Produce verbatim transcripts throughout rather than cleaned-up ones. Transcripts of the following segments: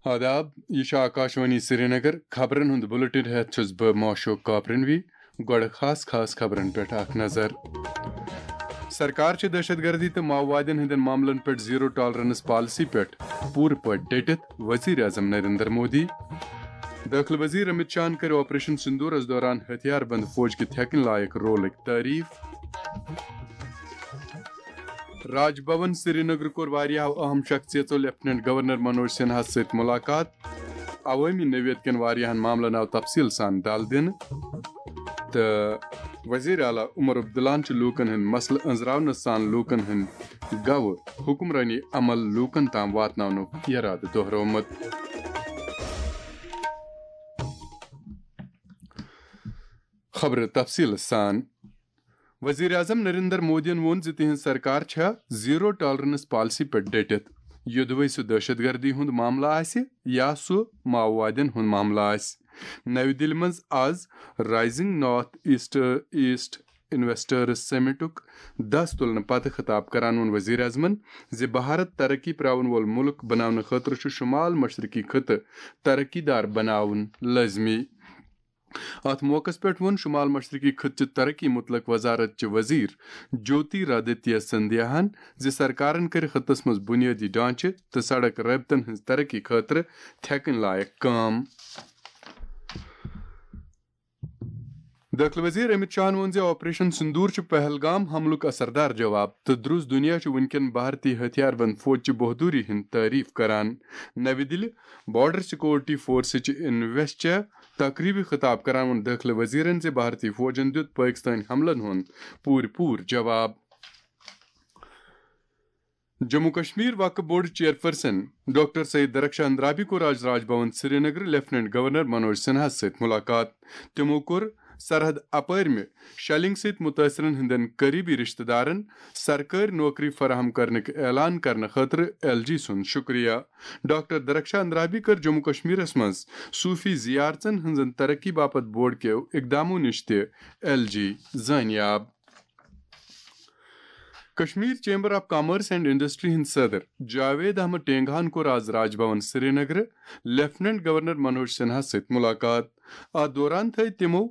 آداب، یہِ چھُ آکاشوانی سرینگر۔ خبرن ہُنٛد بُلٹن ہٮ۪تھ چھُس بہٕ معشوق کاپرنوی۔ گۄڈٕ خاص خاص خبرن پٮ۪ٹھ اکھ نظر۔ سرکار چھِ دہشت گردی تہٕ ماؤوادین ہٕنٛدٮ۪ن معاملن پٮ۪ٹھ زیرو ٹالرنس پالیسی پٮ۪ٹھ پوٗرٕ پٲٹھۍ ڈٔٹِتھ، وزیر اعظم نریندر مودی۔ دٲخلہٕ وزیر امت شاہن کٔر آپریشن سندورس دوران ہتھیار بند فوج کہِ تھٮ۪کٕنۍ لایق رولٕکۍ تعریف۔ راج بھون سرینگر کوٚر واریاہو اہم شخصیژو لیفٹیننٹ گورنر منوج سنہاہس سۭتۍ ملاقات۔ عوٲمی نوعیت کٮ۪ن واریاہن معاملن آو تفصیل سان دل دِنہٕ۔ تہٕ وزیر اعلیٰ عمر عبداللہن چھُ لوٗکن ہٕنٛدۍ مسلہٕ أنٛزراونہٕ سان لوٗکن ہٕنٛدۍ گوٚو حکمرٲنی عمل لوٗکن تام واتناونُک یرادٕ دۄہرومُت۔ خبرٕ تفصیل سان۔ وزیر اعظم نریندر مودیَن ووٚن زِ تِہنٛز سرکار چھےٚ زیرو ٹالرنس پالیسی پٮ۪ٹھ ڈٔٹِتھ، یوٚدوَے سُہ دہشت گردی ہُنٛد معاملہٕ آسہِ یا سُہ ماؤوادین ہُنٛد معاملہٕ آسہِ۔ نَوِ دِلہِ منٛز آز rising north east east investors سمٹُک دَس تُلنہٕ پتہٕ خطاب کران ووٚن وزیر اعظمن زِ بھارت ترقی پراون وول ملک بناونہٕ خٲطرٕ چھُ شمال مشرقی خطہٕ ترقی دار بناوُن لٲزمی۔ اتھ موقعس پٮ۪ٹھ ووٚن شمال مشرقی خطہٕ چہِ ترقی متعلق وزارت چہِ وزیر جیوتی رادتیہ سندھیاہن زِ سرکارن کٔرۍ خطس منٛز بنیٲدی ڈھانچہٕ تہٕ سڑک رٲبطن ہٕنٛز ترقی خٲطرٕ تھٮ۪کٕنۍ لایق کٲم۔ دٲخلہٕ وزیر امت شاہن ووٚن زِ آپریشن سندور چھُ پہلگام حملُک اثردار جواب تہٕ درُس دُنیا چھُ وُنکٮ۪ن بھارتی ہتھیار بند فوج چہِ بہادری ہٕنٛز تعریف کران۔ نَوِ دِلہِ بارڈر سیکورٹی فورسٕچ انویسچر تقریبہِ خطاب کران ووٚن دٲخلہٕ وزیرن زِ بھارتی فوجن دیُت پٲکستٲنۍ حملن ہُنٛد پوٗرٕ پوٗرٕ جواب۔ جموں کشمیر وقف board chairperson doctor Syed Darakhshan Andrabi کوٚر آز راج بھون سرینگر لیفٹیننٹ گورنر منوج سنہاہس سۭتۍ ملاقات۔ تِمو کوٚر سرحد اپٲرمہِ شیلنگ سۭتۍ متٲثرن ہٕنٛدٮ۪ن قریبی رشتہٕ دارن سرکٲرۍ نوکری فراہم کرنٕکۍ اعلان کرنہٕ خٲطرٕ ایل جی سُنٛد شکریہ۔ ڈاکٹر درخشان اندرابی کٔر جموں کشمیرس منٛز صوفی زیارژن ہٕنٛزن ترقی باپتھ بورڈ کیو اقدامو نِش تہِ ایل جی زٲنیاب۔ Kashmir chamber of commerce and industry ہٕنٛدۍ صدر جاوید احمد ٹینگہن کوٚر آز راج بھون سرینگرٕ لیفٹیننٹ گورنر منوج سنہاہس سۭتۍ ملاقات۔ اتھ دوران تھٲوۍ تِمو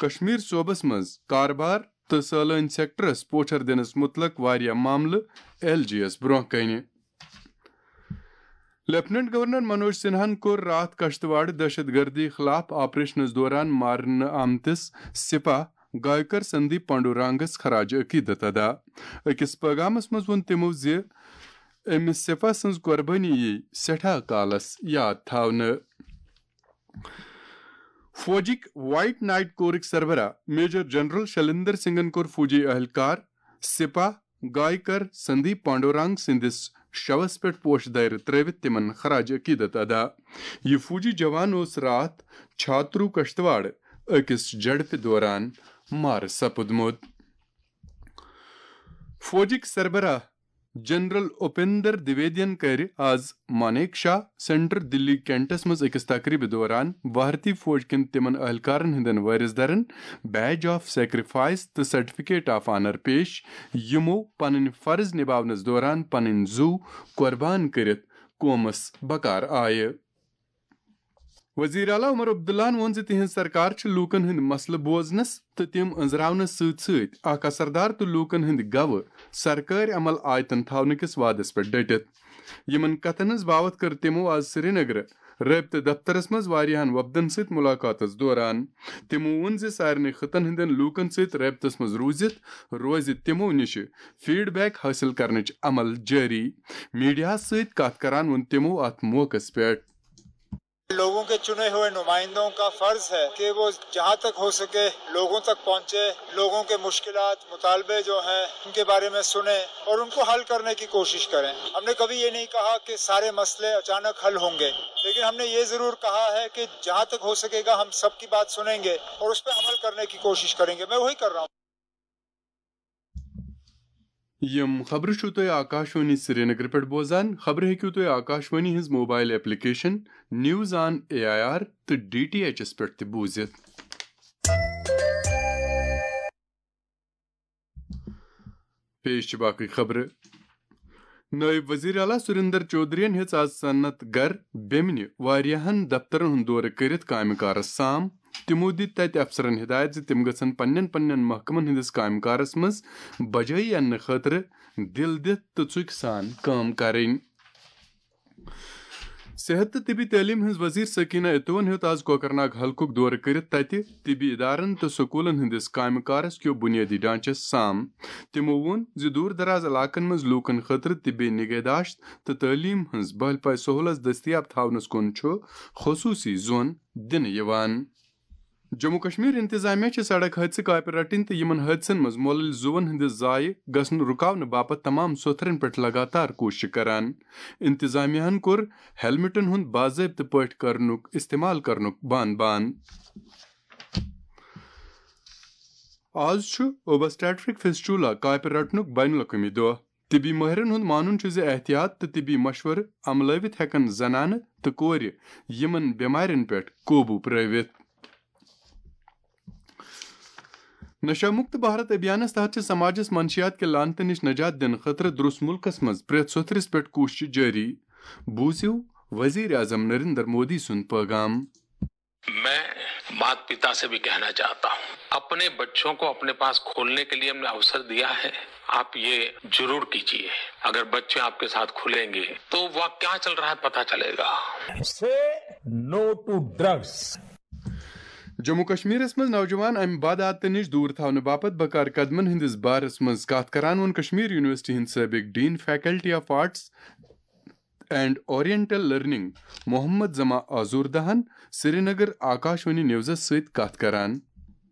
کشمیر صوبس منٛز کاربار تہٕ سٲلٲنۍ سیکٹرس پوچھر دِنس مُتعلق واریاہ معاملہٕ ایل جی یس برونٛہہ کنہِ۔ لیفٹیننٹ گورنر منوج سنہاہن کوٚر راتھ کشتواڑ دہشت گردی خلاف آپریشنس دوران مارنہٕ آمتِس سپاہ گایکر سندیپ پانڈورانگس خراج عقیدت ادا۔ أکِس پیغامس منٛز ووٚن تِمو زِ أمِس سپاہ سٕنٛز قۄربٲنی یی سٮ۪ٹھاہ کالس یاد تھاونہٕ۔ فوجٕکۍ وائٹ نائٹ کورٕکۍ سربراہ میجر جنرل شلیندر سنگھن کوٚر فوجی اہلکار، سپاہ، گایکر سندیپ پانڈورانگ سٕنٛدِس شوس پٮ۪ٹھ پوشہٕ دٲیرٕ ترٲوِتھ تِمن خراج عقیدت ادا۔ یہِ فوجی جوان اوس راتھ چھاترو کشتواڑ أکِس جھڑپہِ دوران مارٕ سپُدمُت۔ فوجٕکۍ سربراہ جنرل اپیندر دویدین کٔرۍ آز مانیک شاہ سینٹر دلی کینٹس منٛز أکِس تقریبہِ دوران بھارتی فوج کٮ۪ن تِمن اہلکارن ہٕنٛدٮ۪ن وٲرث دارن بیج آف سیکریفائس تہٕ سرٹیفکیٹ آف آنر پیش، یِمو پنٕنۍ فرض نباونس دوران پنٕنۍ زُو قۄربان کٔرِتھ قومس بکار آیہِ۔ وزیر اعلیٰ عمر عبداللہن ووٚن زِ تِہنٛز سرکار چھِ لوٗکن ہٕنٛدۍ مسلہٕ بوزنس تہٕ تِم أنٛزراونس سۭتۍ سۭتۍ اکھ اثردار تہٕ لوٗکن ہٕنٛدۍ گوٕ سرکٲرۍ عمل آیتن تھاونہٕ کِس وعدس پٮ۪ٹھ ڈٔٹِتھ۔ یِمن کتھن ہٕنٛز باوتھ کٔر تِمو آز سرینگرٕ رٲبطہٕ دفترس منٛز واریاہن وفدن سۭتۍ ملاقاتس دوران۔ تِمو ووٚن زِ سارنٕے خطن ہٕنٛدٮ۪ن لوٗکن سۭتۍ رٲبطس منٛز روٗزِتھ روزِ تِمو نِشہِ فیڈ بیک حٲصِل کرنٕچ عمل جٲری۔ میڈیاہس سۭتۍ کتھ کران ووٚن تِمو اتھ موقعس پٮ۪ٹھ۔ لوگوں کے چنے ہوئے نمائندوں کا فرض ہے کہ وہ جہاں تک ہو سکے لوگوں تک پہنچے، لوگوں کے مشکلات، مطالبے جو ہیں ان کے بارے میں سنیں اور ان کو حل کرنے کی کوشش کریں۔ ہم نے کبھی یہ نہیں کہا کہ سارے مسئلے اچانک حل ہوں گے، لیکن ہم نے یہ ضرور کہا ہے کہ جہاں تک ہو سکے گا ہم سب کی بات سنیں گے اور اس پہ عمل کرنے کی کوشش کریں گے۔ میں وہی کر رہا ہوں۔ یِم خبرٕ چھِو تُہۍ آکاشوانی سرینگرٕ پٮ۪ٹھ بوزان۔ خبرٕ ہیٚکِو تُہۍ آکاشوانی ہٕنٛز mobile application news on A I R تہٕ ڈی ٹی ایچ یَس پٮ۪ٹھ تہِ بوٗزِتھ۔ پیش چھِ باقٕے خبرٕ۔ نٲیِب وزیر اعلیٰ سُریندر چودھرین ہیٚژ آز صنعت گر بیمنہِ واریاہن دفترن ہُنٛد دورٕ کٔرِتھ کامہِ کارس سام۔ تِمو دِتۍ تَتہِ افسرن ہدایت زِ تِم گژھن پننٮ۪ن پننٮ۪ن محکمن ہٕنٛدِس کامہِ کارس منٛز بجٲیی اننہٕ خٲطرٕ دِل دِتھ تہٕ ژُکۍ سان کٲم کرٕنۍ۔ صحت تہٕ طبی تعلیٖم ہٕنٛز وزیر سکینہ اتوَن ہیوٚت آز کوکرناگ حلقُک دورٕ کٔرِتھ تَتہِ طبی ادارن تہٕ سکوٗلن ہٕنٛدِس کامہِ کارس کیو بُنیٲدی ڈھانچس سام۔ تِمو ووٚن زِ دوٗر دراز علاقن منٛز لوٗکن خٲطرٕ طبی نگہداشت تہٕ تعلیٖم ہٕنٛز بہل پاے سہولت دٔستیاب تھاونس کُن چھُ خصوٗصی زون دِنہٕ یِوان۔ جموں کشمیر انتظامیہ چھِ سڑک حٲدثہٕ کاپہِ رٹٕنۍ تہٕ یِمن حٲدثن منٛز مۄلٕلۍ زُوَن ہٕنٛدِ ضایع گژھُن رُکاونہٕ باپتھ تمام سوٚتھرن پٮ۪ٹھ لگاتار کوٗششہٕ کران۔ انتظامیہ ہن کوٚر ہیلمٹن ہُنٛد باضٲبطہٕ پٲٹھۍ کرنُک استعمال کرنُک بان بان۔ آز چھُ اوبسٹیٹرک فسٹولا کاپہِ رٹنُک بین الاقوٲمی دۄہ۔ طبی مٲہرن ہُنٛد مانُن چھُ زِ احتیاط تہٕ طبی مشورٕ عملٲوِتھ ہٮ۪کن زنانہٕ تہٕ کورِ یِمن بٮ۪مارٮ۪ن پٮ۪ٹھ قوبوٗ پرٲوِتھ۔ نشہ مکت بھارت ابھیانس تحت چھِ سماجس منشیات کہِ لعنتہٕ نِش نجات دِنہٕ خٲطرٕ درُس مُلکس منٛز پرٛٮ۪تھ سوٚتھرِس پٮ۪ٹھ کوٗشش جٲری۔ بوٗزِو وزیر اعظم نریندر مودی سُنٛد پٲغام۔ मैं माता पिता से भी कहना चाहता हूँ, अपने बच्चों को अपने पास खोलने के लिए हमने अवसर दिया है, आप ये जरूर कीजिए. अगर बच्चे आपके साथ खुलेंगे तो वह क्या चल रहा है पता चलेगा. Say no to drugs. Jammu کشمیرس منٛز نوجوان امہِ بد عادتہٕ نِش دوٗر تھاونہٕ باپتھ بکار قدمن ہٕنٛدِس بارس منٛز کتھ کران ووٚن کشمیر یونیورسٹی ہٕنٛدۍ سٲبق dean faculty of arts and oriental learning Mohammad Zaman آزوردہن سرینگر آکاشوانی نیوزس سۭتۍ کتھ کران۔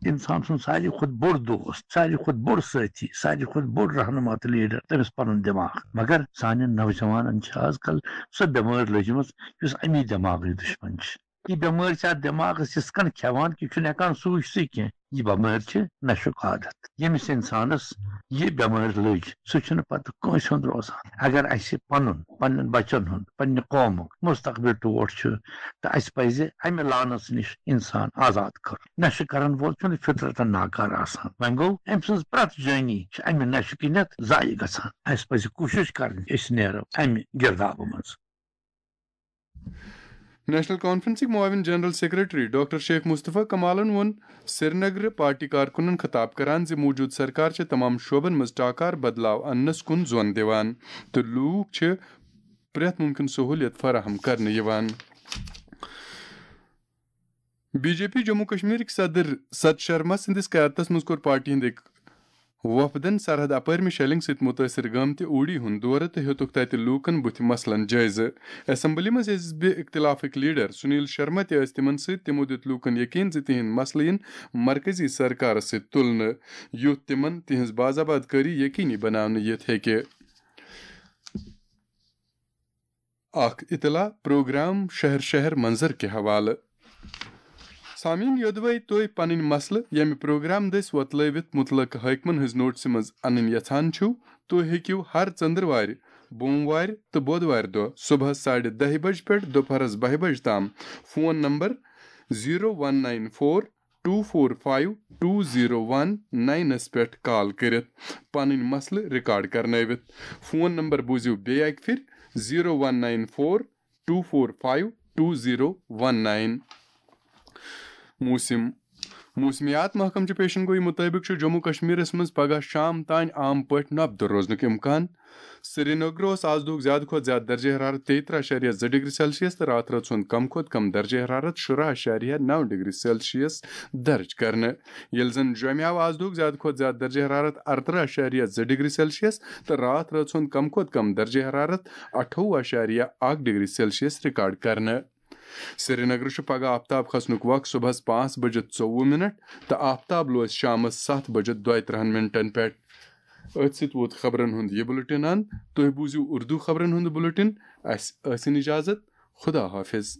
انسان سُنٛد ساروی کھۄتہٕ بوٚڑ دوست، ساروی کھۄتہٕ بوٚڑ سٲتھی، ساروی کھۄتہٕ بوٚڑ رہنما تہٕ لیڈر تٔمِس پنُن دٮ۪ماغ۔ مگر سانٮ۪ن نوجوانن چھِ آز کل سۄ بٮ۪مٲرۍ لٔجمٕژ یُس امی دٮ۪ماغٕچ دُشمن چھِ۔ یہِ بٮ۪مٲرۍ چھِ اتھ دٮ۪ماغس یِژھ کٔنۍ کھٮ۪وان کہِ یہِ چھُنہٕ ہٮ۪کان سوٗنٛچتھٕے کینٛہہ۔ یہِ بٮ۪مٲرۍ چھِ نشُک عادت۔ ییٚمِس انسانس یہِ بٮ۪مٲرۍ لٔج، سُہ چھُنہٕ پتہٕ کٲنٛسہِ ہُنٛد روزان۔ اگر اسہِ پنُن، پننٮ۪ن بچن ہُنٛد، پننہِ قومُک مستقبل ٹوٹھ چھُ، تہٕ اسہِ پزِ امہِ لعنتس نِش انسان آزاد کرُن۔ نشہٕ کرن وول چھُنہٕ فطرتن ناکار آسان۔ وۄنۍ گوٚو، أمۍ سٕنٛز پرٛٮ۪تھ جٲنی چھِ امہِ نشہٕ کِنٮ۪تھ ضایع گژھان۔ اسہِ پزِ کوٗشش کرٕنۍ، أسۍ نیرو امہِ گردابہٕ منٛز۔ نیشنل کانفرنسٕکۍ معاون جنرل سیکرٹری ڈاکٹر شیخ مصطفیٰ کمالن ووٚن سرینگرٕ پارٹی کارکُنن خطاب کران زِ موجودٕ سرکار چھِ تمام شعبن منٛز ٹاکار بدلاو اننس کُن زون دِوان تہٕ لوٗکھ چھِ پرٛٮ۪تھ مُمکِن سہوٗلیت فراہم کرنہٕ یِوان۔ بی جے پی جموں کشمیرٕکۍ صدر ست شرما سٕنٛدِس قیادتس منٛز کوٚر پارٹی ہٕنٛدۍ أکۍ وفدن سرحد اپٲرمہِ شیلنگ سۭتۍ مُتٲثر گٲمتہِ اوڈی ہُنٛد دورٕ تہٕ ہیوٚتُکھ تتہِ لوٗکن بُتھِ مسلن جٲیزٕ۔ اسمبلی منٛز حزب اختلافٕکۍ لیڈر سنیل شرما تہِ ٲسۍ تِمن سۭتۍ۔ تِمو دیُت لوٗکن یقین زِ تِہنٛدۍ مسلہٕ یِن مرکزی سرکارس سۭتۍ تُلنہٕ، یُتھ تِمن تِہنٛز باز آباد کٲری یقینی بناونہٕ یِتھ ہیٚکہِ۔ اکھ اطلاع پروگرام شہر شہر منظر کہِ حوالہٕ۔ سامعین، یوٚدوَے تُہۍ پنٕنۍ مسلہٕ ییٚمہِ پروگرام دٔسۍ وۄتلٲوِتھ مُتلقہٕ حٲکمن ہٕنٛز نوٹسہِ منٛز انٕنۍ یژھان چھِو، تُہۍ ہیٚکِو ہر ژٔنٛدٕروارِ، بوموارِ تہٕ بۄدوارِ دۄہ صبحس ساڑِ دَہہِ بجہِ پٮ۪ٹھ دُپہرس بَہہِ بجہِ تام phone number zero one nine four two four five two zero one nine س پٮ۪ٹھ کال کٔرِتھ پنٕنۍ مسلہٕ ریکارڈ کرنٲوِتھ۔ فون نمبر بوٗزِو بیٚیہِ اکہِ پھِرِ، zero one nine four two four five two zero one nine۔ موسم۔ موسمیات محکمہٕ چہِ پیشن گویی مُطٲبِق چھُ جموں کشمیرس منٛز پگہہ شام تام عام پٲٹھۍ نۄپدٕ روزنُک امکان۔ سرینگر اوس آز دُہُک زیادٕ کھۄتہٕ زیادٕ درجہ حرارت تیٚیہِ ترٕٛہ اَشاریہ زٕ ڈگری سیلسیس تہٕ راتھ رٲژ ہُنٛد کم کھۄتہٕ کم درجہ حرارت شُراہ اَشاریہ نَو ڈگری سیلسیس درج کرنہٕ، ییٚلہِ زن جوٚمہِ آو آز دُہُک زیادٕ کھۄتہٕ زیادٕ درجہ حرارت اَرترٕٛہ اَشاریہ زٕ ڈگری سیلسیس تہٕ راتھ رٲژ ہُنٛد کم کھۄتہٕ کم درجہ حرارت اَٹھووُہ اَشاریہ اَکھ ڈگری سیلسیس ریکارڈ کرنہٕ۔ سرینگرٕ چھُ پگہہ آفتاب کھسنُک وق صبحس پانٛژھ بجہِ ژوٚوُہ منٹ تہٕ آفتاب لوس شامس ستھ بجہِ دۄیہِ ترٕٛہن منٹن پٮ۪ٹھ۔ أتھۍ سۭتۍ ووت خبرن ہُنٛد یہِ بُلٹن اند۔ تُہۍ بوٗزِو اردو خبرن ہُنٛد بُلٹن۔ اسہِ ٲسِن اجازت۔ خدا حافظ۔